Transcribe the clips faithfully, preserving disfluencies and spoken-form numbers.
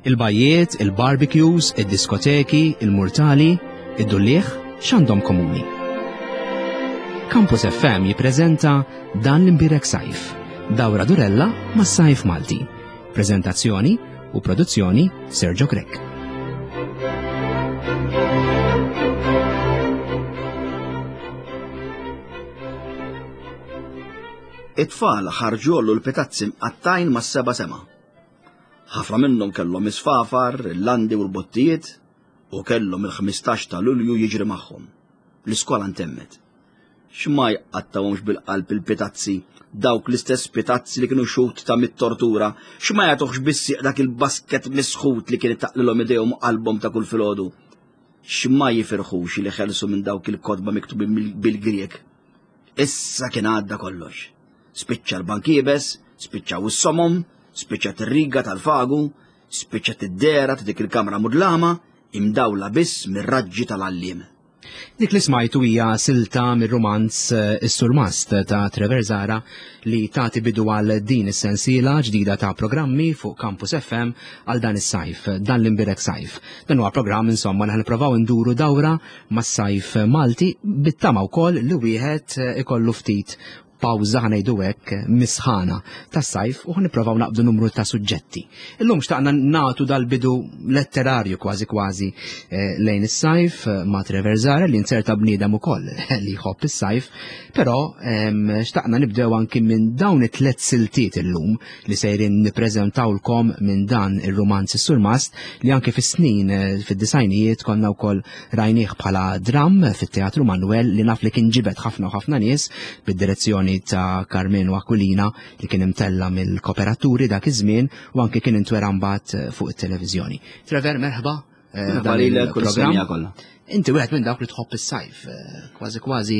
Il-bajjiet, il-barbecues, id-diskoteki, il-murtali, id-dulliegħ, x'għandhom komuni? Campus F M jippreżenta Dan l-Imbierek Sajf, dawra durella mas-sajf Malti. Prezentazzjoni u produzzjoni Sergio Grech. It-tfal ħarġu l-pitazzi mqattajn mas-seba' sema. Ħafna minnhom kellhom isfafar, il-landi u l-bottijiet u kellhom il-ħmistax ta' Lulju jiġri magħhom. L-iskola ntemmet. X'ma jqattawhomx bil-qalb il-pitazzi, dawk l-istess pitazzi li kienu xut ta' mit-tortura, x'ma jagħtuhx bissieq dak il-basket misħut li kien taqlilhom idejhom u qalbhom ta' kull filgħodu. X'ma jifirħux li ħelsu minn dawk il-kotba miktubin bil-Grieg. Issa kien għadda kollox. Spiċċa l-bank iebes, spiċċaw is-somom, spiċċat ir-riga tal-fagu, spiċċat id-dera ta' dik il-kamra mudlama, imdawla biss mir-raġġi tal-għalliem. Dik li smajtu hija silta mir-rumanz eh, Is-Surmast ta' Trevor Zahra li tagħti bidu għal din is-sensiela ġdida ta' programmi fuq Campus F M għal dan is-sajf, Dan l-Imbierek Sajf. Dan huwa programm, insomma, li nippruvaw nduru dawra mas-sajf Malti bit-tama wkoll li wieħed eh, ikollu ftit pawża, ħa ngħidu hekk, mis-sħana tas-sajf u nipprovaw naqbdu numru ta' suġġetti. Illum xtaqna nagħtu dal-bidu letterarju kważi kważi eh, lejn is-sajf eh, ma' Trevor Zahra li inzerta bniedem ukoll li jħobb is-sajf, però xtaqna nibdew anki minn dawn it-tlet siltiet illum li sejrin nippreżentawlkom minn dan ir-rumanz Is-Surmast li anki fis-snin eh, fid-disgħinijiet konna wkoll rajnieh bħala dram fit-Teatru Manuel li naf li kien ġibed ħafna u ħafna nies bid-direzzjoni ta' Karmenu Aquilina li kien imtella mill-kooperaturi dak iż-żmien u anke kien intwera mbagħad fuq it-televiżjoni. Trevor, merħba. eh, Merħba lilek u l-semmiegħa kollha. Inti wieħed minn dawk li tħobb is-sajf, eh, kważi kważi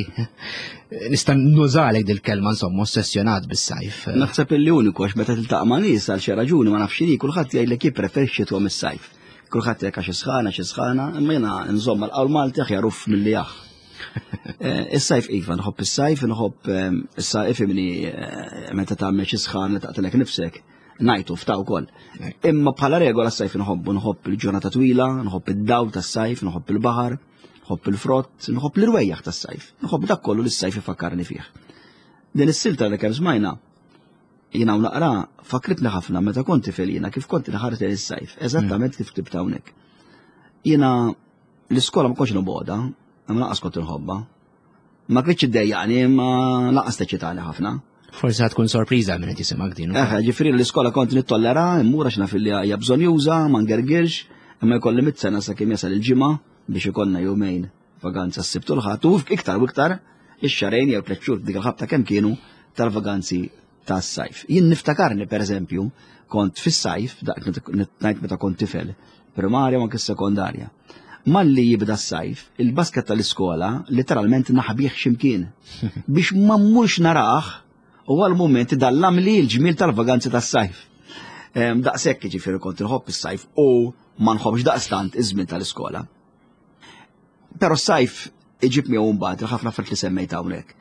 nista' nużalek dil-kelma, insomma, ossessjonat bis-sajf. Naħseb illi uniku, għax meta tiltaqa' ma' nies għal xi raġuni ma nafx x'inhi, kulħadd jgħidlek jippreferixxi tuhom is-sajf. Kulħadd jgħidlek għax isħana, xi sħana, imma jiena nżomm mal-qawl Malti, aħjar uff milli aħ. Eh, Is-sajf iva, nħobb is-sajf, nħobb eh, issa ifhimni, eh, meta tagħmel xi sħan li taqtilek nifsek, ngħidu fta wkoll. Imma bħala regola s-sajf nħobbu, nħobb il-ġurnata twila, nħobb id-dawl tas-sajf, nħobb il-baħar, nħobb il-frott, nħobb l-irwejjaħ tas-sajf, nħobb dak kollu li s-sajf ifakkarni fih. Din is-silta li kemm smajna, jiena u naqra, fakritni ħafna meta kont tifel jiena kif kont inħares lejn is-sajf, eżattament kif ktibt hawnhekk. Jiena l-iskola ma kontx nobgħodha, imma lanqas kont inħobbha. Ma kienx iddejjaqni, imma lanqas teċċitani ħafna. Forsi ħa tkun sorpriża minn qed jisimgħek din. Eħe, ġifieri l-iskola kont nittollera, immur għax naf li hija bżonjuża, ma ngergirx, imma jkolli mitt sena sakemm jasal il-ġimgħa biex ikollna jumejn vaganza s-Sibt u l-Ħadd u iktar u iktar ix-xahrejn jew tliet xhur dik il-ħabta kemm kienu tal-vaganzi tas-sajf. Jien niftakarni, pereżempju, kont fis-sajf, dak ngħid meta kont tifel, primarja u anke sekondarja. Malli jibda s-sajf, il-basket tal-iskola literalment naħbih x'imkien biex ma mmurx narah u għal-moment dallam li l-ġmil tal-vaganzi tas-sajf. Em, Daqshekk ġifieri kont inħobb is-sajf u ma nħobbx daqstant iż-żmien tal-iskola. Però s-sajf iġib miegħu mbagħad il-ħafna affarijiet li semmejt hawnhekk.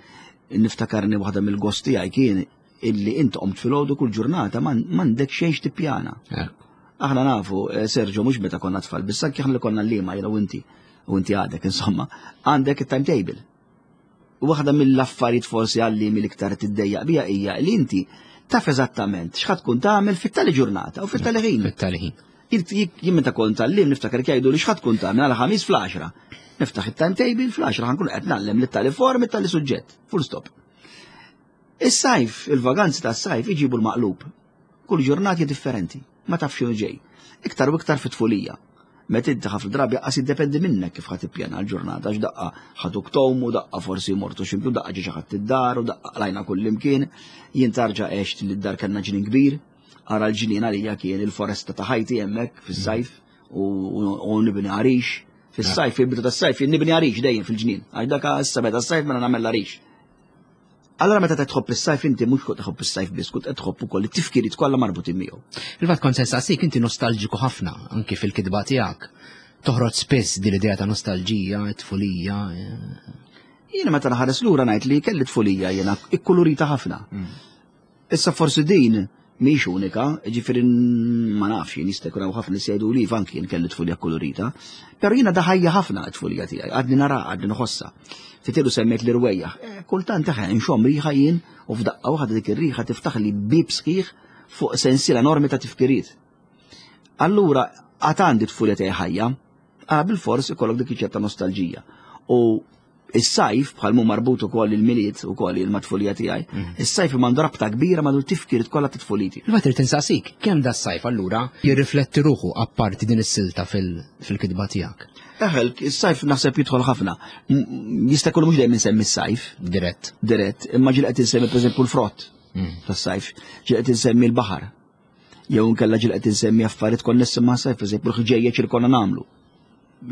Niftakarni waħda mill-gost tiegħi kien illi int qomt filgħodu kull ġurnata m'għandek xejn tippjana. Aħna nafu, eh, Sergio, mhux meta konna tfal, biss anke aħna li konna l-lima, jiena u inti, u inti għadek, insomma, għandek il-timetable. U waħda mill-affarijiet forsi għalli mill-iktar tiddejjaq bija hija li inti taf eżattament x'ħa tkun tagħmel fit-tali ġurnata u fit-tali ħin. Fit-tali ħin. Jien meta kont għalliem niftakar jgħidu li x'ħa tkun tagħmel għal Ħamis fl-għaxra. Niftaħ it-timetable, fl-għaxra ħa nkun qed ngħallem lit-tali form, it-tali suġġett. Full stop. Is-sajf, il-vaganzi tas-sajf iġibu l-maqlub. Kull ġurnati differenti, ma tafx x'inhu ġej. Iktar u iktar fit-tfulija. Meta inti ħafna drabi qas jiddependi minnek kif ħa tippjana l-ġurnata, għax daqqa ħaduk tgħumu, daqqa forsi mortu x'imkien, daqqa ġie xi ħadd id-dar u daqqa qlajna kull imkien. Jien tarġa' għext li d-dar kellna ġnien kbir, ara l-ġnien għalija kien il-foresta ta' ħajti hemmhekk fis-sajf u, u, u nibni għarix. Fis-sajf, fil-bidu tas-sajf, jien nibni għarix dejjem fil-ġnien. Għax dak issa meta s-sajf mela nagħmel l-għarix. Allora meta tħobb is-sajf inti mhux kont tħobb is-sajf biss, kont qed tħobb ukoll it-tifkiriet kollha marbutin miegħu. Il-fatt kont se nsaqsik, inti nostalġiku ħafna anki fil-kitba tiegħek. Toħroġ spiss din l-idea ta' nostalġija, tfulija. eh. Jiena meta nħares lura ngħid li kelli tfulija jiena ikkulurita ħafna. Issa forsi din Mhix unika, ġifieri ma nafx, jien jista' jkun hawn ħafna li jgħidu li anki jien kelli tfulija kolorita, però jiena daħajja ħafna t-tfulija tiegħi, għadni nara, għadni nħossa. Fitilu semmejt li rwejjaħ, eh, kultant taħ nxomm riħa jien u f'daqqa waħda dik ir-riħa tiftaħ li bib sħiħ fuq sensiela enormi ta' tifkiriet. Allura, għad għandi tfulija tiegħi ħajja, għara bil-fors ikollok dik ċerta nostalġija. U is-sajf bħal mu marbut ukoll il-Milied ukoll il-matfulija tiegħi, mhm. is-sajf m'għandu rabta kbira ma' tifkiriet kollha ta' tfuliti. Il-fatt irid insaqsik, kemm da s-sajf allura jirrifletti ruħu apparti din is-silta fil-kitba tiegħek? Eħel, is-sajf naħseb jidħol ħafna. Jista' jkun mhux dejjem insemmi s-sajf. Dirett. Dirett, imma ġieli qed insemmi pereżempju l-frott mm. tas-sajf, ġieli qed insemmi l-baħar. Jew nkella ġieli qed insemmi affarijiet konnessi ma' sajf, pereżempju l-ħġejjeġ li konna nagħmlu.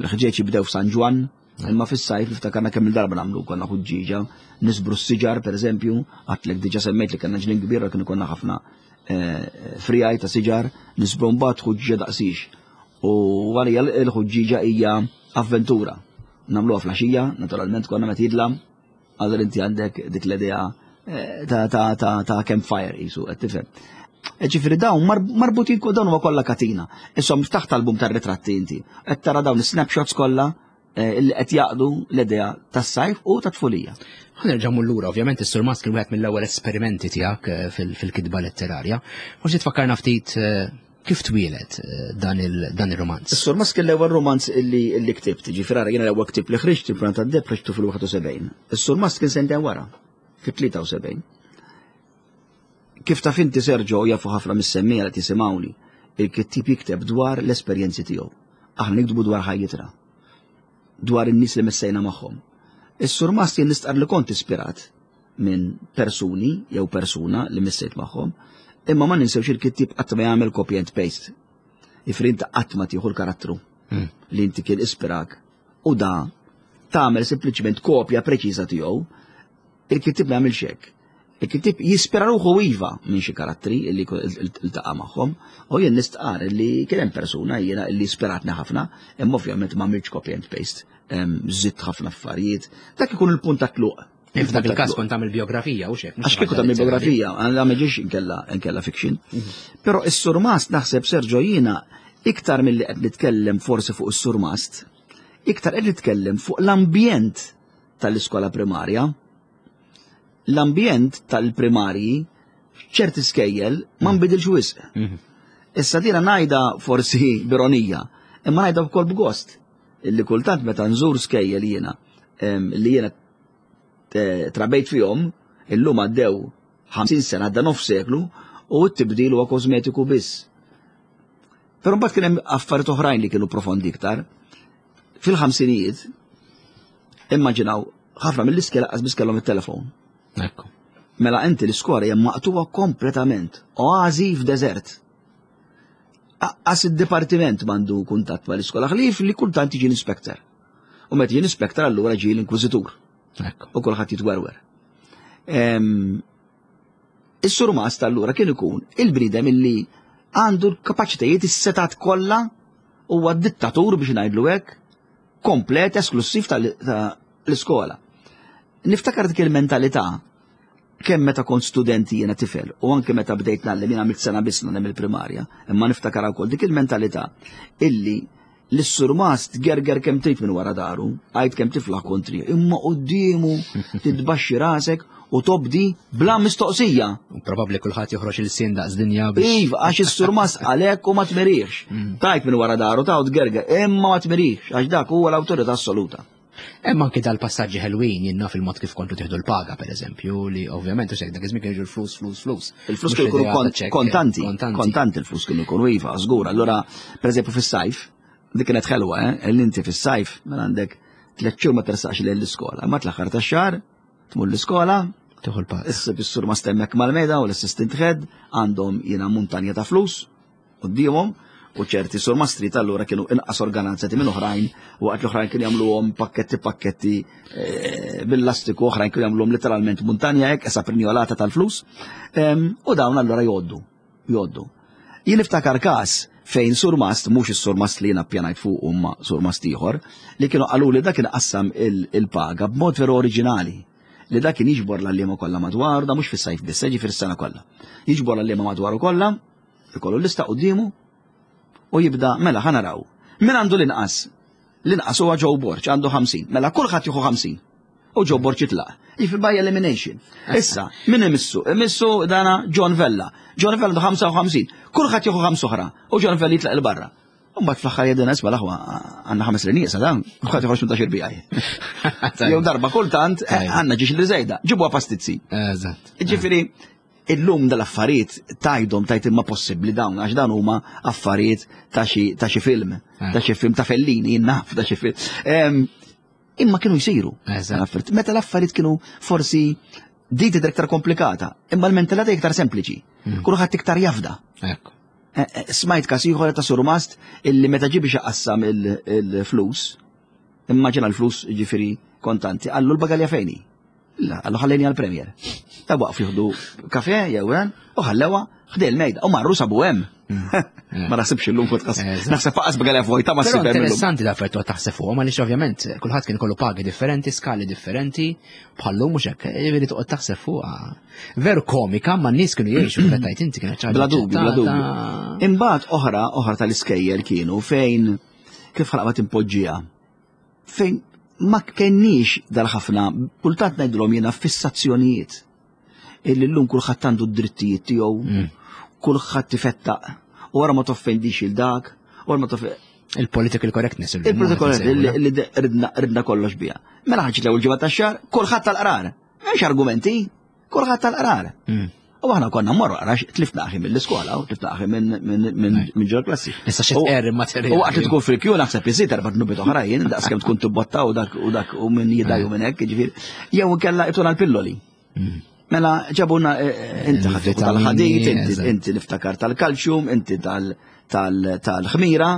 L-ħġejjeġ jibdew f'San Ġwann, imma fis-sajf niftakarna kemm il-darba nagħmlu konna ħuġġieġa, nisbru s-siġar pereżempju, għatlek diġà semmejt li kellna ġnien kbir kien konna ħafna eh, frijaj ta' siġar, nisbru mbagħad ħuġġieġa daqsix. U għalija l-ħuġġieġa hija avventura. Nagħmluha flaxija, naturalment konna meta jidlam, għadha inti għandek dik l-idea eh, ta' ta' ta' ta' campfire jisu, qed tifhem. E ġifieri dawn marbutin dawn huma kollha katina. Isom taħt album tar-ritratti inti. Qed tara dawn is-snapshots kollha eh, li qed jaqdu l-idea tas-sajf u tat-tfulija. Ħanerġa' lura, ovvjament is-Sur Mast kien wieħed mill-ewwel esperimenti tiegħek eh, fil-kitba letterarja. Forsi tfakkarna ftit eh, kif twieled dan il-romanz. Is-Sur Mast kien l-ewwel romanz illi illi ktibt, ġifieri jiena l-ewwel ktibt li ħriġt il-Pjan tad-Deheb ħriġtu fil-wieħed u sebgħin. Is-Sur Mast kien sentejn wara, fit-tlieta u sebgħin. Kif taf inti Sergio, jafu ħafna mis-semmiegħa li tisimgħuni, il-kittib jikteb dwar l-esperjenzi tiegħu. Aħna niktbu dwar ħajjitna, dwar in-nies li messejna magħhom. Is-Sur Mast jien nistqar li kont ispirat minn persuni jew persuna li missejt magħhom, imma ma ninsewx il-kittib qatt ma jagħmel copy and paste. Ifri inti qatt ma tieħu l-karattru hmm. li inti kien ispirak u da tagħmel sempliċement kopja preċiża tiegħu, il-kittib ma jagħmilx hekk. Il-kittib jispira ruħu iva minn xi karattri li iltaqa' magħhom, u jien nistqar li kien hemm persuna jiena li ispiratni ħafna, imma ovvjament ma għamiltx copy and paste, żidt ħafna affarijiet. Dak ikun il-punt ta' tluq. F'dak il-każ kont tagħmel biografija u xek. Għax kieku tagħmel biografija, għandha ma ġiex inkella inkella fiction. Mhm. Però is-Surmast naħseb Sergio jiena iktar milli qed nitkellem forsi fuq is-Surmast, iktar qed nitkellem fuq l-ambjent tal-iskola primarja. L-ambjent tal-primarji ċerti skejjel ma nbidilx wisq. Mhm. Issa dina ngħidha forsi b'ironija, imma ngħidha wkoll b'gost illi kultant meta nżur skejjel jiena li jiena eh, trabejt fihom, illum għaddew ħamsin sena, għadda nofs seklu u t-tibdil huwa kosmetiku biss. Però mbagħad kien hemm affarijiet oħrajn li kienu profondi iktar. Fil-ħamsinijiet, immaġinaw, ħafna mill-iskela qas biss kellhom it-telefon. Ekku. Mela inti l-iskola hija maqtuwa kompletament, oazi f'deżert. Qas id-dipartiment m'għandu kuntatt mal-iskola ħlief li kultant jiġi l-inspector. U meta jiġi l-inspector allura ġie l-inkwiżitur. U kulħadd jitwerwer. Is-surmast allura kien ikun il-bniedem illi għandu l-kapaċitajiet is-setat kollha, huwa dittatur biex ngħidlu hekk, komplet esklusiv tal-iskola. Niftakar dik il-mentalità kemm meta kont studenti jiena tifel u anke meta bdejt ngħallem, jiena għamilt sena biss nagħlem il-primarja, imma niftakar wkoll dik il-mentalità illi l-surmast gerger kemm trid minn wara daru, għajt kemm tiflaħ kontri, imma quddiemu titbaxxi rasek u tobdi bla mistoqsija. U probabbli kulħadd joħroġ il-sien daqs dinja biex. Iva, għax is-surmast għalhekk u ma tmirix. Mm. Tajt minn wara daru ta' tgerger, imma ma tmirix, għax dak huwa l-awtorità assoluta. Hemm anki dal-passaġġi ħelwin jinnna fil-mod kif kontu tieħdu l-paga, per eżempju, li ovvjament u dak iż-żmien kienu l-flus, flus, flus. Il-flus kienu jkunu kontanti, kontanti il-flus kienu jkunu iva, żgur. Allura, per eżempju, fis-sajf, dik kienet ħelwa, eh, li inti fis-sajf mela għandek tliet xhur ma tersaqx lejn l-iskola, ma tl-aħħar tax-xahar tmur l-iskola, tieħu l-paga. Issa bis-sur ma stemmek mal-meda u l-assistant head għandhom jiena muntanja ta' flus quddiemhom, u ċerti surmastri tal-allura kienu inqas organizzati minn oħrajn, waqt l-oħrajn kienu jagħmluhom pakketti pakketti eh, bil-lastiku, oħrajn kienu jagħmluhom literalment muntanja hekk, esa prinjolata tal-flus, u dawn allura jgħoddu, jgħoddu. Jien niftakar każ fejn surmast, mhux is-surmast li jiena ppjanajt fuq imma surmast ieħor, li kienu qalu li dak kien qassam il-paga b'mod veru oriġinali, Li dak kien jiġbor l-għalliema kollha madwar, da mhux fis-sajf biss, ġifieri s-sena kollha. Jiġbor l-għalliema madwaru kollha, ikollu l-lista quddiemu u jibda mela ħa naraw. Min għandu l-inqas? L-inqas huwa Joe Borg, għandu ħamsin. Mela kulħadd jieħu ħamsin. U Joe Borg jitlaq. Jiġifieri by elimination. Issa, min imissu? Imissu dana John Vella. John Vella għandu ħamsa u ħamsin. Kulħadd jieħu ħamsa oħra. U John Vella jitlaq 'il barra. U mbagħad fl-aħħar jedina isma' l-aħwa għandna ħames nieqsa dan, kulħadd joħroġ minn tax bijaj. Jew darba kultant eh, għandna ġiex li żejda, ġibuha pastizzi. Eżatt. Ġifieri, illum dal-affarijiet tajdhom tajt imma possibbli dawn, għax dan huma affarijiet ta' xi ta' xi film, ta' xi film ta' Fellini, jien naf ta' xi film. Em, Imma kienu jsiru. Eżatt. L-affarijiet. Meta l-affarijiet kienu forsi di tidher iktar komplikata, imma l-mentalità iktar sempliċi. Kulħadd iktar jafda. Ekku. Eh, eh, Smajt kas ieħor ta' Surmast illi meta ġie biex iqassam il- il-flus, immaġina l-flus ġifieri kontanti, qallu l-bagalja fejn hi? La, qallu ħallejni għal-Premier. Ta' waqf jieħdu kafe jew hemm, u ħallewa ħdejn il-mejda u marru sabu hemm. Ma naħsibx illum kont qas. Eżatt. Naħseb faqas bagalja vojta ma Però ssib hemm illum. interessanti da affarijiet taħseb fuqhom għaliex ovvjament kulħadd kien kollu pagi differenti, skali differenti, bħallum mhux hekk, jiġifieri toqgħod taħseb fuqha. Veru komika, ma n-nies kienu jgħixu kif tajt inti kienet ħaġa Bla dubju, bla dubju. aċċettata. Imbagħad oħra, oħra tal-iskejjel kienu fejn kif ħalaqma timpoġġija. Fejn ma kenniex dal-ħafna, kultant ngħidulhom jiena fissazzjonijiet. Illi llum kulħadd għandu d-drittijiet tiegħu, Mm. kulħadd ifettaq, u wara ma toffendix il dak, u wara ma toffendix. Il-political correctness. illum, Il-protokoll qed li insejħu, li ridna ridna kollox bija. Mela ħaġa l-ewwel ġimgħa tax-xahar, kulħadd tal-qrar. M'hemmx argumenti, kulħadd tal-qrar. Mm. U aħna konna mmorru għarax tlifna aħi mill-iskola u tlifna aħi minn minn minn minn ġol klassi. Issa xi tqerr immaterjali. U waqt li tkun fil-kju naħseb iżid erba' dnubiet oħrajn, daqs kemm tkun tibbotta u dak u dak u minn jidaj u minn hekk, ġifieri. Jew inkella ituna l-pilloli. Mm. Mela ġabuna eh, eh, inti ħadd Il-vitamini, tal-ħadid, inti eżatt. inti niftakar tal-kalċjum, inti tal- tal- tal-ħmira.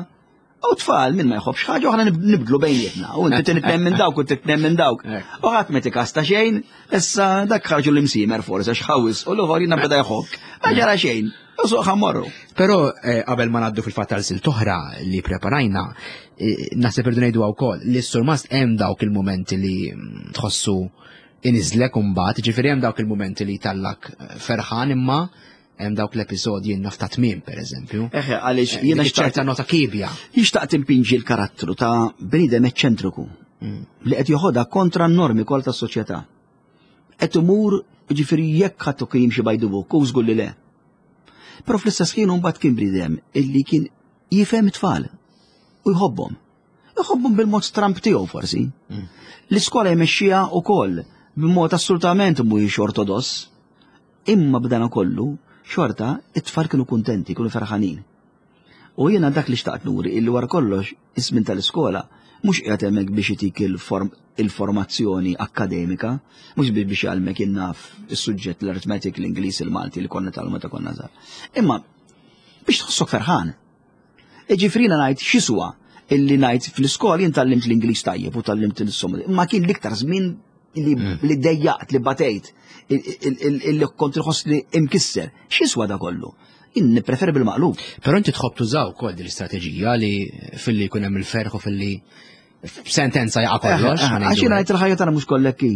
U tfal minn ma jħobbx ħaġa u aħna nib- nibdlu bejnietna. U inti titnem minn dawk u titnem minn dawk. Ekk. U ħadd ma tikasta xejn, issa dak ħarġu l-imsimer forsi għax ħawis u l-ieħor jiena beda jħokk. Ma ġara xejn. U suq ħammorru. Però eh, qabel ma ngħaddu fil-fatt għal silta oħra li preparajna, eh, naħseb irdu ngħidu wkoll li s-surmast hemm dawk il-momenti li mm, tħossu iniżlek imbagħad, ġifieri hemm dawk il-momenti li tallak eh, ferħan imma hemm dawk l-episodji naf ta' tmiem pereżempju. Eħe, għaliex Eh, jiena dik xtaqt ċerta nota kibja. Jixtaq timpinġi l-karattru ta' bniedem eċċentriku li qed joħodha kontra n-normi kollha tas-soċjetà. Qed imur ġifieri jekk ħadd kien jimxi by the book, u żgur li le. Però fl-istess ħin mbagħad kien bniedem illi kien jifhem it-tfal u jħobbhom. Jħobbhom bil-mod stramp tiegħu forsi. L-iskola jmexxiha wkoll b'mod assolutament mhuwiex ortodoss. Imma b'dana kollu, xorta, it-tfal kienu kuntenti, kienu ferħanin. U jiena dak li xtaqt nuri illi wara kollox iż-żmien tal-iskola mhux qiegħed hemmhekk biex itik il-form il-formazzjoni akkademika, mhux biex biex jgħallmek innaf is-suġġett l-arithmetic, l-Ingliż, il-Malti li konna tal meta konna żgħar. Imma biex tħossok ferħan. Ġifieri ngħid x'iswa illi ngħid fl-iskola jien tgħallimt l-Ingliż tajjeb u tgħallimt il-somma. Imma kien l-iktar żmien li, li dejjaqt, li batejt, illi kont inħoss li imkisser. X'iswa da kollu? Jien nippreferi bil-maqlub. Però inti tħobb tużaw ukoll din l-istrateġija li filli jkun hemm il-ferħ u filli sentenza jaqa' kollox. Eh, ħa ngħidu Għax jiena hekk. ngħid il-ħajja tagħna mhux kollek hi.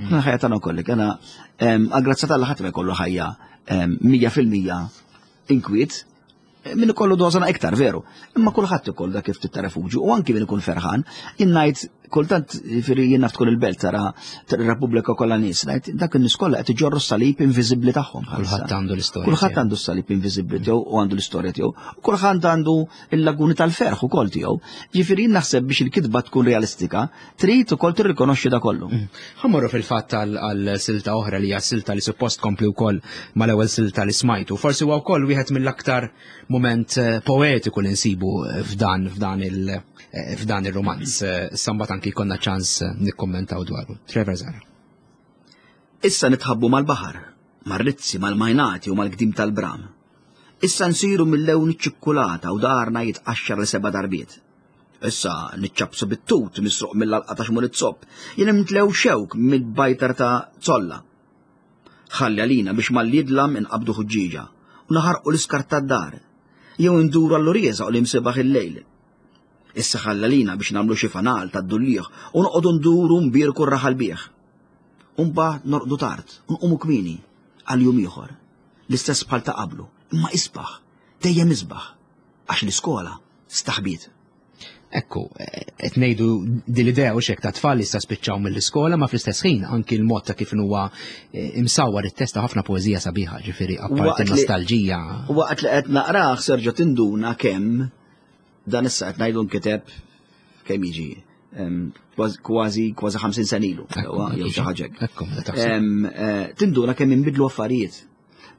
Il-ħajja tagħna kollek. Għana għal-grazzja t'Alla ħadd ma jkollu ħajja em, mija fil-mija inkwiet. Min ikollu dożana iktar, veru. Imma kulħadd ikollu dak kif ta' refuġju u anki min ikun ferħan, jien ngħid kultant jiġifieri jien naf tkun il-belt tara ir-Repubblika kollha nies, ngħid dak in-nies kollha qed iġorru s-salib inviżibbli tagħhom. bħalissa. Kulħadd għandu l-istorja Kulħadd tiegħu. għandu s-salib inviżibbli tiegħu u għandu l-istorja tiegħu. U kulħadd għandu il-laguni tal-ferħ ukoll tiegħu. Ġifieri jien naħseb biex il-kitba tkun realistika, trid ukoll tirrikonoxxi da kollu. Ħa mmorru fil-fatt għal silta oħra li hija silta li suppost kompli wkoll mal-ewwel silta li smajtu. Forsi huwa wkoll wieħed mill-aktar moment eh, poetiku li nsibu f'dan f'dan il eh, f'dan ir-romanz. Eh, Sambat anki konna ċans eh, nikkommentaw dwaru. Trevor Zara. Issa nitħabbu mal-baħar, mar-rizzi, mal-majnati u mal-gdim tal-bram. Issa nsiru mill-lewn iċ-ċikkulata u daharna jitqaxxar li seba' darbiet. Issa niċċabsu bit-tut misruq mill-alqa ta' xmur it-zopp, jien nimtlew xewk mill-bajtar ta' zolla. Ħalli għalina biex mal-jidlam inqabdu ħuġġiġa u naħarqu l-iskart tad-dar, jew induru għall-urieza u l-imsebaħ il-lejl. Issa ħalli għalina biex nagħmlu xi fanal tad-dullieħ u noqogħdu nduru mbierku r-raħal bih. U mbagħad norqdu tard, u nqumu kmieni għal jum ieħor. L-istess bħal ta' qablu, imma isbaħ, dejjem isbaħ, għax l-iskola staħbiet. Ekku, qed ngħidu din l-idea u xek ta' tfal li issa spiċċaw mill-iskola, ma fl-istess ħin anki l-mod ta' kif huwa eh, imsawwar it-test ta' ħafna poeżija sabiħa, ġifieri apparti Waqt li- nostalġija. Waqt li qed naqrah serġa' tinduna kemm dan issa qed ngħidu nkiteb kemm jiġi em, kważi kważi kważi ħamsin sena ilu, sewwa, jew xi ħaġa hekk. Ekku, meta taħseb. Em, eh, Tinduna kemm inbidlu affarijiet.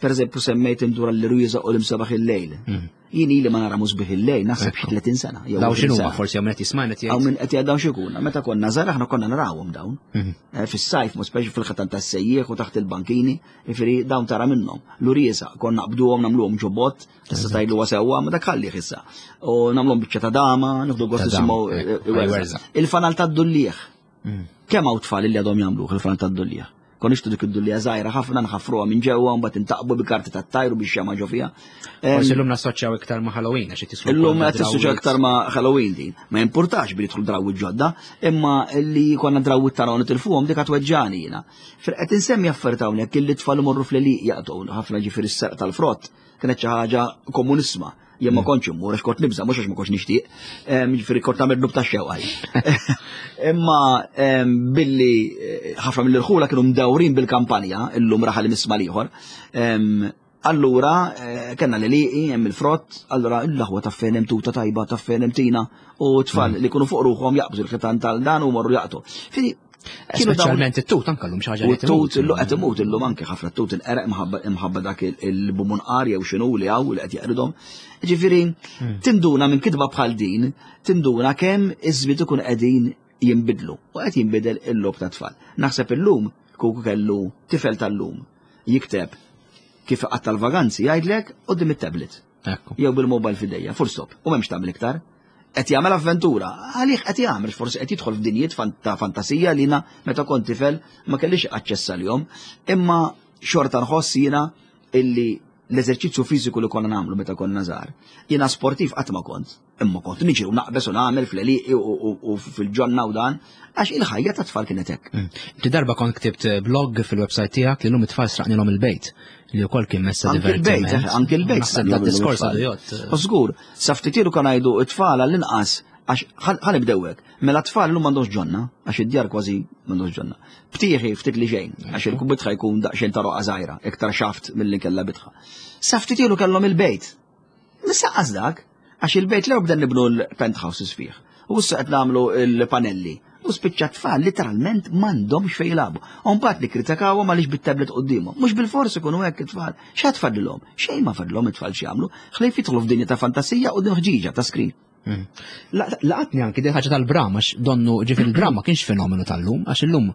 Per eżempju, semmejt indura l-rwiża u l-imsabaħ il-lejl. Jien ili ma nara musbieħ il-lejl, naħseb xi tletin sena. jew Daw għoxrin x'inhuma sena. forsi hawn qed jismajna Għaw jgħid. minn qed jgħid dawn x'ikuna. Meta konna żgħar aħna konna narawhom dawn. Mhm. Eh, Fis-sajf, mhux speċi fil-ħatan tas-sejjieħ u taħt il-bankini, jifieri dawn tara minnhom. L-uriesa konna naqbduhom nagħmluhom ġobot, tista' tgħidlu sewwa, ma dak ħallih issa. U nagħmluhom biċċa ta' dama, nieħdu gost Ta' dama, nisimgħu ekku, eh, werża. werża. Il-fanal tad-dullieħ. Mm. Kemm hawn tfal li għadhom jagħmluh il-fanal tad-dullieħ? Kon nixtru dik id-dullieħa żgħira ħafna nħaffruha minn ġewwa u mbagħad intaqbu bi karti tat-tajru biex xema ġo fiha. Em, Forsi llum nassoċjaw iktar ma' Halloween għax tislu. Illum qed tissoċja aktar ma' Halloween din. Ma jimpurtax billi jidħlu drawwiet ġodda, imma li konna drawwiet tagħna u nitilfuhom dik tweġġani jiena. Fir qed insemmi affarijiet hawnhekk illi tfal imorru fl-għelieqi jaqtgħu ħafna ġifieri s-serq tal-frott kienet xi ħaġa komunissma. Jien ma kontx immur għax kont nibża' mhux għax ma kontx nixtieq. Em, Ġifieri kont nagħmel dnub tax-xewqa. Imma em, billi eh, ħafna mill-irħula kienu mdawrin bil-kampanja, illum raħal misma l-ieħor. Em, Allura, eh, kellna l-għelieqi, hemm il-frott, allura l-aħwa ta' fejn hemm tuta tajba, ta' fejn hemm tina, u tfal li jkunu fuq ruħhom jaqbżu l-ħitan tal-dan u morru jaqtu. Fini, kienu dawn- Speċjalment it-tut anke llum xi ħaġa U li t-tut timut. illu qed imut illum anke ħafna t-tut inqerq imħabba imħabba dak il-bumunqar jew x'inhu li hawn li qed jeqridhom. Ġifieri tinduna minn kitba bħal din, tinduna kemm iż-żmien ikun qegħdin jinbidlu u qed jinbidel il-logħob ta' tfal. Naħseb illum kieku kellu tifel tal-lum jikteb kif qatt tal-vaganzi jgħidlek quddiem it-tablet Ekku. jew bil-mobile f'idejja, full stop, u m'hemmx tagħmel iktar. Qed jagħmel avventura, għalih qed jagħmel, forsi qed jidħol f'dinjiet fan- ta' fantasija li jiena meta kont tifel ma kellix aċċess għalihom, imma xorta nħoss jiena illi l-eżerċizzju fiżiku li konna nagħmlu meta konna żgħar. Jiena sportiv qatt ma kont, imma kont niġri u naqbeż u nagħmel fl-għelieqi u- u u fil-ġonna u dan, għax il-ħajja ta' tfal kienet hekk. Mm. Inti darba kont ktibt blog fil-website tiegħek li llum it-tfal sraqnilhom il-bejt li wkoll kien messa Anki il-bejt, divertiment. eh, anki il-bejt. Naħseb dat diskors għadu jgħodd. U żgur, sa ftit ilu kan ngħidu it-tfal għall-inqas għax ħa nibdew hekk. Mela tfal illum m'għandhomx ġonna, għax id-djar kważi m'għandhomx ġonna. Btieħi ftit li xejn, għax il-bitħa jkun daqsxejn ta' roqa żgħira, iktar xaft milli kellha bitħa. Sa ftit ilu kellhom il-bejt. Nissaqqas dak, għax il-bejt l bda nibnu l-penthouses fih. U issa qed nagħmlu l-panelli. U spiċċa tfal literalment m'għandhomx fejn jilagħbu. U mbagħad nikkritikawhom għaliex bit-tablet quddiemhom. Mhux bil-fors ikunu hekk it-tfal. X'għad fadlilhom? Xejn ma fadlilhom it-tfal x'jagħmlu. Ħlief jidħlu f'dinja ta' fantasija quddiem ħġiġa ta' screen. Mm. La- Laqatni anki di ħaġa tal-bram, għax donnu ġifieri il-bram ma kienx fenomenu tal-lum, għax illum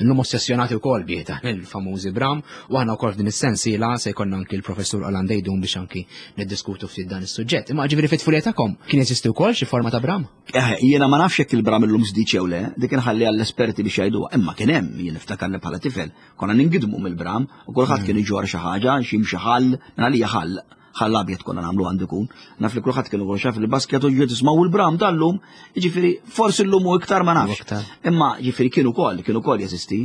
illum ossessjonati wkoll bih ta' il-famużi bram, u aħna wkoll f'din is-sensiela se jkollna anki l-professur Alan Deidun biex anki niddiskutu ftit dan is-suġġett. Imma ġifieri fit-tfulija tagħkom kien jeżisti wkoll xi forma ta' bram? Eh, jiena ma nafx jekk il-bram illum żdied jew le, dik inħalli għall-esperti biex jgħiduha, imma kien hemm, jien niftakar li bħala tifel, konna ningidmu mill-bram u kulħadd kien iġor xi ħaġa, xi xi ħall, għalija ħall, ħall abjad konna nagħmlu għandu jkun. Naf li kulħadd kienu xaf il-basket u ġiet tismgħu il-bram tal-lum, jiġifieri forsi llum hu iktar ma nafx. Iktar. Imma ġifieri kienu wkoll, kienu wkoll jeżisti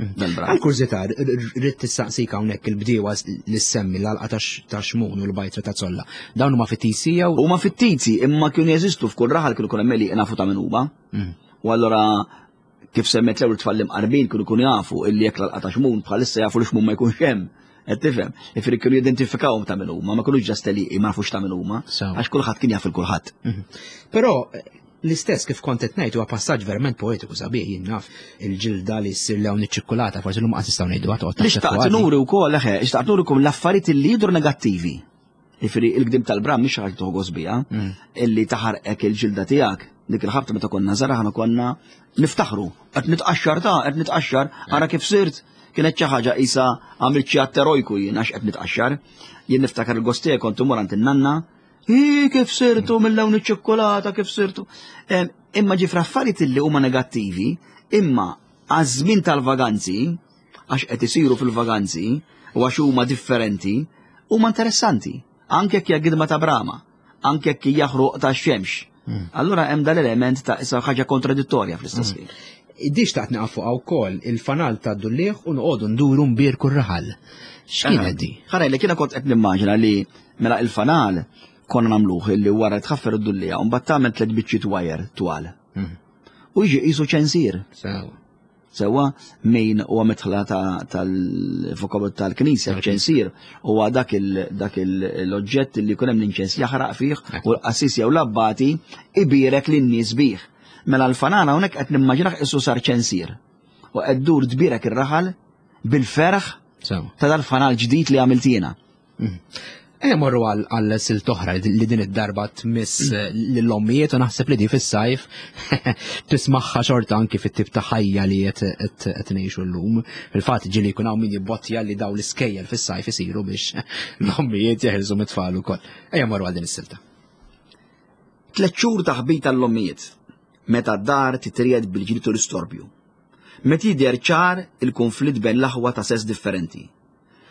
dal-bram. Għal kurżità, rrid tistaqsik hawnhekk il-bdiewa li semmi l-għalqa ta' xmun u l-bajtra ta' zolla. Dawn huma fittizji jew Huma fittizji, imma kienu jeżistu f'kull raħal kienu kun hemm li nafu ta' min huma. Mm. U allura kif semmet l-ewwel tfal imqarbin kienu kunu jafu illi jekk l-għalqa ta' xmun bħalissa jafu li xmun ma jkunx hemm. Qed tifhem? Jifieri kienu jidentifikawhom ta' min huma, ma kinux just li ma nafux ta' min huma, Sew. għax kulħadd kien jaf il kulħadd. Mhm. Però eh, l-istess kif kont qed ngħid huwa passaġġ verament poetiku sabiħ jien naf il-ġilda li ssir lewn iċ-ċikkulata, forsi llum qatt nistgħu ngħidu toqgħod Li taħseb xtaqt fuqha di. nuri wkoll eħe, xtaqt nurikom l-affarijiet li jidhru negattivi. Jifieri il-gdim tal-bram mhix ħaġa toħgos biha, Mm. illi taħarqek il-ġilda tiegħek. Dik il-ħabta meta konna żgħar aħna konna niftaħru, qed nitqaxxar ta' qed nitqaxxar, ara kif sirt. Kienet xi ħaġa qisha għamilt xi att erojku jien għax qed nitqaxxar. Jien niftakar il-gost tiegħi kont imur għand in-nanna, Hi, kif sirtu mill-lewn iċ-ċikkulata, kif sirtu. Em, Imma ġifra affarijiet illi huma negattivi, imma għaż-żmien tal-vaganzi, għax qed isiru fil-vaganzi, u għax huma differenti, huma interessanti. Anke jekk hija gidma ta' brama, anke jekk hija ħruq ta' xemx. Allura hemm dal-element ta' issa ħaġa kontradittorja fl-istess ħin. Di xtaqt naqaf fuqha wkoll, il-fanal ta' dulliegħ u noqogħdu nduru nbierku r-raħal. X'kienet di? Ħa ngħidlek, jiena kont qed nimmaġina li mela il-fanal konna nagħmluh illi wara tħaffer id-dulliegħa u mbagħad tagħmel tliet biċċiet wire twal. Mhm. U jiġi qisu ċensier. Sewa. Sewa min huwa mitħla tal-vokabol tal-knisja, ċensier huwa dak l-oġġett li jkun hemm l-inċens jaħraq fih u l-qassis jew l-abbati ibierek lin-nies bih. Mela l-fanal hawnhekk qed nimmaġinah qisu sar ċensier. U qed dur tbierek ir-raħal bil-ferħ ta' dal-fanal ġdid li għamilt jiena. Ejja morru għal silt oħra li din id-darba tmiss lill-ommijiet u naħseb li di fis-sajf tismaħħa xorta anki fit-tip ta' ħajja li qed ngħixu llum. Fil-fatt ġieli jkun hawn min jibbottja li daw l-iskejjel fis-sajf isiru biex l-ommijiet jeħilsu mit-tfal ukoll. Ejja morru għal din is-silta. Tliet xhur ta' ħbit għall-ommijiet, meta d-dar titriegħed bil-ġlied u l-istorbju. Meta jidher ċar il-konflitt bejn l-aħwa ta' sess differenti.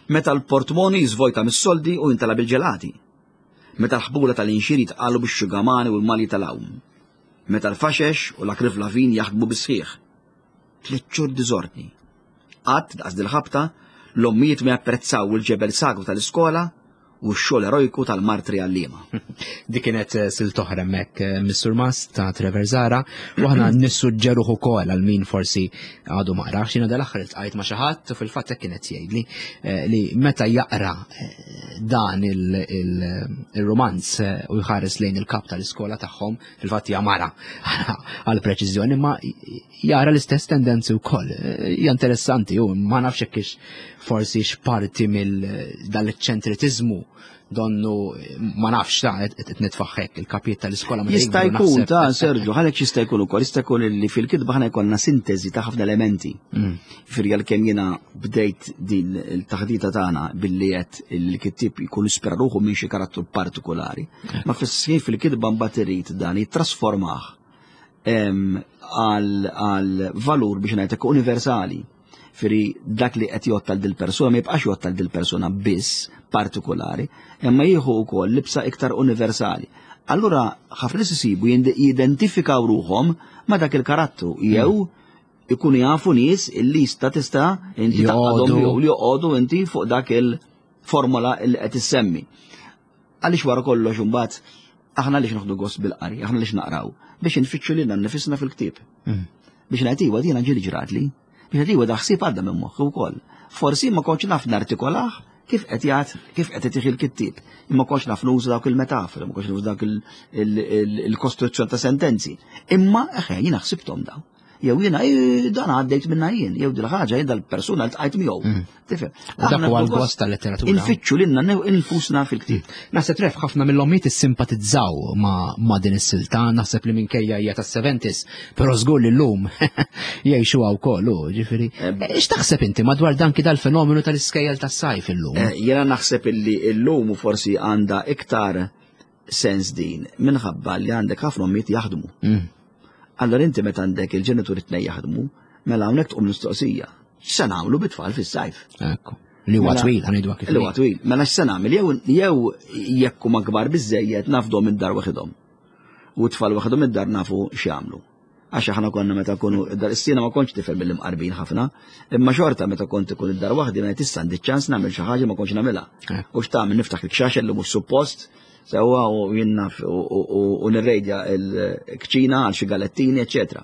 Meta l-portmoni jiżvojta mis-soldi u jintala bil-ġelati. Meta l-ħbula tal-inxir jitqalu bix-xugamani u l-mali tal-għawm. Meta l-faxex u l-akriflavin jaħdmu bis-sħiħ. Tliet xhur diżordni. Qatt daqs dil-ħabta l-ommijiet ma japprezzaw il-ġebel sagru tal-iskola u x-xogħol erojku tal-martri għalliema. Dik kienet eh, silt oħra hemmhekk eh, mis-Surmast ta' Trevor Zahra u aħna nissuġġeruh ukoll għal min forsi għadu ma qrax. Jiena dal-aħħar iltqajt ma' xi ħadd u fil-fatt hekk kienet jgħidli eh, li meta jaqra dan il-romanz u jħares lejn il-kap tal-iskola tagħhom, fil-fatt hija mara għal preċiżjoni, ma jara l-istess tendenzi wkoll. Hija interessanti u ma nafx hekk forsi x'parti mill dal-eċċentritiżmu donnu ma nafx ta' qed nitfaħħek il-kapijiet tal-iskola. Jista' jkun ta' Sergio, għalhekk jista' jkun ukoll, jista' jkun li fil-kitba ħana jkollna sintesi ta' ħafna elementi. Mm. Firja l-kemm jiena bdejt din il-taħdita tagħna billi qed il-kittib jkun ispira ruħu minn xi karattru partikolari. Ma fis-sħiħ fil-kitba mbagħad irid dan jittrasformah għal valur biex ngħidlek universali. Firi dak li qed jgħodd għal dil-persuna ma jibqax jgħodd għal dil-persuna biss partikolari, imma jieħu wkoll libsa iktar universali. Allura ħafna nies isibu jidentifikaw ruħhom ma' dak il-karattru jew ikunu jafu nies illi jista' tista' inti taqgħodhom jew li joqogħdu inti fuq dak il-formola li qed issemmi. Għaliex wara kollox imbagħad aħna għaliex noħdu gost bil-qari, aħna għaliex naqraw, biex nfittxu lilna nnifisna fil-ktieb. Biex ngħid iwa dina ġieli ġratli. Biex ngħid iwa da ħsieb għadda minn moħħi wkoll. Forsi ma kontx naf nartikolah kif qed jgħid, kif qed itih il-kittieb. Imma kontx naf nuża dawk il-metafori, ma kontx nuża dawk il-kostruzzjoni ta' sentenzi. Imma eħe jiena ħsibthom daw. Jew jiena dan għaddejt minna jien, jew dil ħaġa jien dal-persuna li tqajt miegħu. Tifhem? Dak huwa l-gost tal-letteratura. Infittxu lilna infusna fil-ktieb. Naħseb ref ħafna mill-ommijiet issimpatizzaw ma' din is-silta, naħseb li minkejja hija tas-seventies, però żgur li llum jgħixuha wkoll, ġifieri. X'taħseb inti madwar dan kif dal-fenomenu tal-iskejjel tas-sajf illum? Jiena naħseb illi llum forsi għandha iktar sens din minħabba li għandek ħafna ommijiet jaħdmu. Allora inti meta għandek il-ġenituri tnejn jaħdmu, mela hawnhekk tqum mistoqsija. X'se nagħmlu bit-tfal fis-sajf? Ekku. Li huwa twil, ħa ngħidu kif. Li huwa twil. Mela x'se nagħmel? Jew jew jekk huma kbar biżejjed nafdhom id-dar waħedhom. U t-tfal waħedhom id-dar nafu x'jagħmlu. Għax aħna konna meta kunu id-dar is-sina ma kontx tifel mill-imqarbin ħafna, imma xorta meta kont ikun id-dar waħdi meta tista' għandi ċans nagħmel xi ħaġa ma kontx nagħmilha. U x'tagħmel niftaħ il-kxaxel li mhux suppost, sewwa u jinnaf u nirrejdja l-kċina għal xi galettini, eċetera.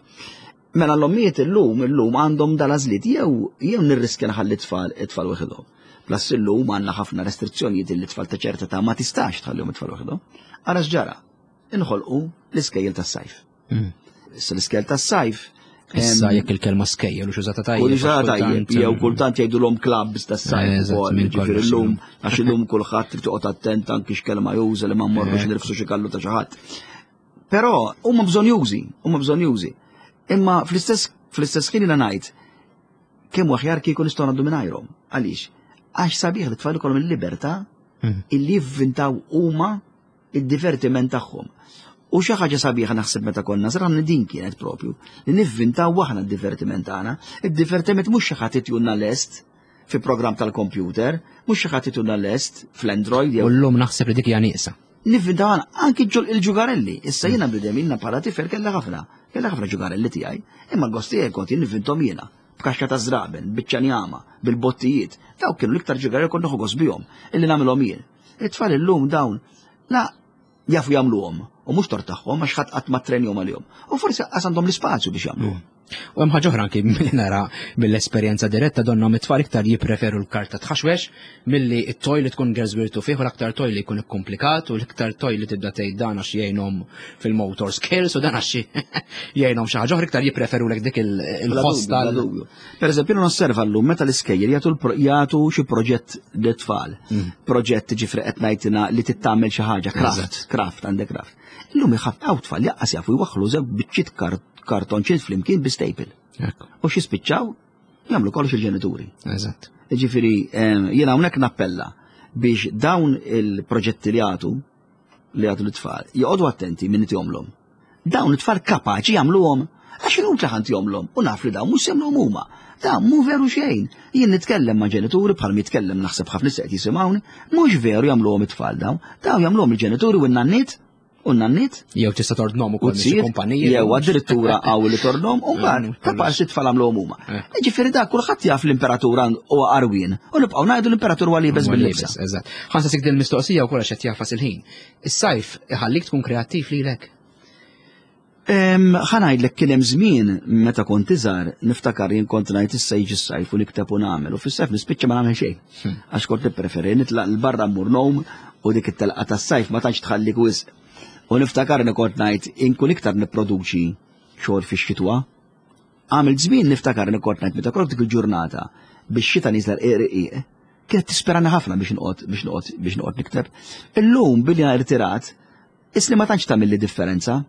Mela l-ommijiet illum illum għandhom dal-għażliet jew jew nirriskja nħalli tfal it-tfal waħedhom. Plus illum għandna ħafna restrizzjonijiet li t-tfal ta' ċerta ta' ma tistax tħallihom it-tfal waħedhom. Ara x'ġara, inħolqu l-iskejjel tas-sajf. Issa l-iskejjel tas-sajf. Issa jekk il-kelma skejjel u xużata tajjeb. U xużata tajjeb, jew kultant jgħidulhom clubs tas-sajf ukoll, jiġifieri llum għax illum kulħadd trid toqgħod attent anki x'kelma juża li ma mmorrux nirfsu xi kallu ta' xi ħadd. Però huma bżonjużi, huma bżonjużi. Imma fl-istess fl-istess ħin jiena ngħid kemm aħjar kieku nistgħu ngħaddu mingħajrhom. Għaliex? Għax sabiħ li tfal ikollhom il-libertà illi jivvintaw huma id-divertiment tagħhom. U xi ħaġa sabiħa naħseb meta konna żgħar din kienet propju li nivvintaw aħna d-divertiment tagħna. Id-divertiment mhux xi ħadd itjunna lest fi programm tal-computer, mhux xi ħadd itjunna lest fl-Android jew. U llum naħseb li dik hija nieqsa. Nivvintaw aħna anki il-ġugarelli. Issa jiena bidem jiena bħala tifel kellha ħafna. Kellha ħafna ġugarelli tiegħi, imma l-gost tiegħi kont jinvintom jiena. B'kaxxa ta' żraben, biċċa njama, bil-bottijiet. Dawk kienu l-iktar ġugarelli kont nieħu gost bihom, illi nagħmilhom jien. It-tfal illum dawn la jafu jagħmluhom u mhux tort tagħhom għax ħadd qatt ma ttrenjhom għalihom. U forsi qas għandhom l-ispazju biex jagħmluhom. U hemm ħaġa oħra anki nara mill-esperjenza diretta donna mit-tfal iktar jippreferu l-karta tħaxwex milli it-toy li tkun geżwirtu fih u l-aktar toy li jkun ikkomplikat u l-iktar toy li tibda tgħid dan għax jgħinhom fil-motor skills u dan għax jgħinhom xi ħaġa oħra iktar jippreferu lek dik il-ħoss tal. Per eżempju, nosserva llum meta l-iskejjel jagħtu jagħtu xi proġett lit-tfal. Proġett ġifri qed ngħidilna li tittamel xi ħaġa, craft, craft għandek craft. Illum iħaf hawn tfal jaqqas jafu jwaħħlu żewġ biċċiet kartonċin flimkien bi staple. U xi spiċċaw jagħmlu kollox il-ġenituri. Eżatt. Ġifieri jiena hawnhekk nappella biex dawn il-proġetti li jagħtu li jagħtu l-tfal joqogħdu attenti min jomlhom. Dawn it-tfal kapaċi jagħmluhom għax inutli ħadd jomlhom u naf li dawn mhux jagħmluhom huma. Dan mhu veru xejn. Jien nitkellem ma' ġenituri bħal jitkellem naħseb ħafna nies qed jisimgħuni, mhux veru jagħmluhom it-tfal dawn. Dawn jagħmluhom il-ġenituri u n-nanniet u n-nanniet. Jew tista' tordnhom ukoll xi kumpaniji. Jew addirittura hawn li tordnhom u mbagħad kapaċi t-tfal għamluhom huma. Ġifieri dak kulħadd jaf l-imperatur huwa qarwien u nibqgħu ngħidu l-imperatur huwa liebes bil-libsa. Eżatt. Ħa nsaqsik din il-mistoqsija wkoll għax qed jafas il-ħin. Is-sajf iħallik tkun kreattiv lilek? Ħa ngħidlek kien hemm żmien meta kont iżgħar niftakar jien kont ngħid issa jiġi s-sajf u nikteb u nagħmel u fis-sajf nispiċċa ma nagħmel xejn. Għax kont nippreferi nitlaq 'l barra mmur ngħum u dik it-telqa tas-sajf ma tantx tħallik wisq. U niftakar li kont ngħid inkun iktar nipproduċi xogħol fix-xitwa. Għamil żmien niftakar li kont ngħid meta kont dik il-ġurnata biex xita nieżla rqiq kienet tisperani ħafna biex noqgħod biex noqgħod biex noqgħod nikteb. Illum billi irtirat, isli ma tantx tagħmel li differenza.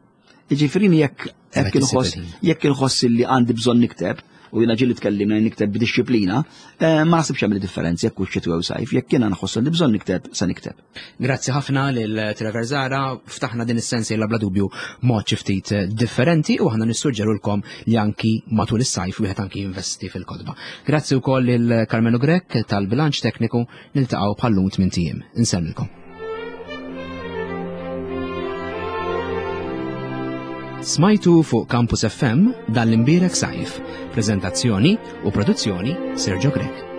Jiġifieri jekk jekk inħoss jekk inħoss li għandi bżonn nikteb u jiena ġieli tkellimna nikteb b'dixxiplina, ma naħsibx jagħmel differenza jekk hux xitwa jew sajf, jekk jiena nħoss li bżonn nikteb sa nikteb. Grazzi ħafna lil Trevor Zahra, ftaħna din is-sensiela bla dubju mod xi ftit differenti u aħna nissuġġerulkom li anki matul is-sajf wieħed anki jinvesti fil-kotba. Grazzi wkoll lil Carmelo Grech tal-bilanċ tekniku, niltaqgħu bħal-lum tmien ijiem. Insellmilkom. Smajtu fuq Campus F M dan l-imbierek sajf. Prezentazzjoni u produzzjoni Sergio Grech.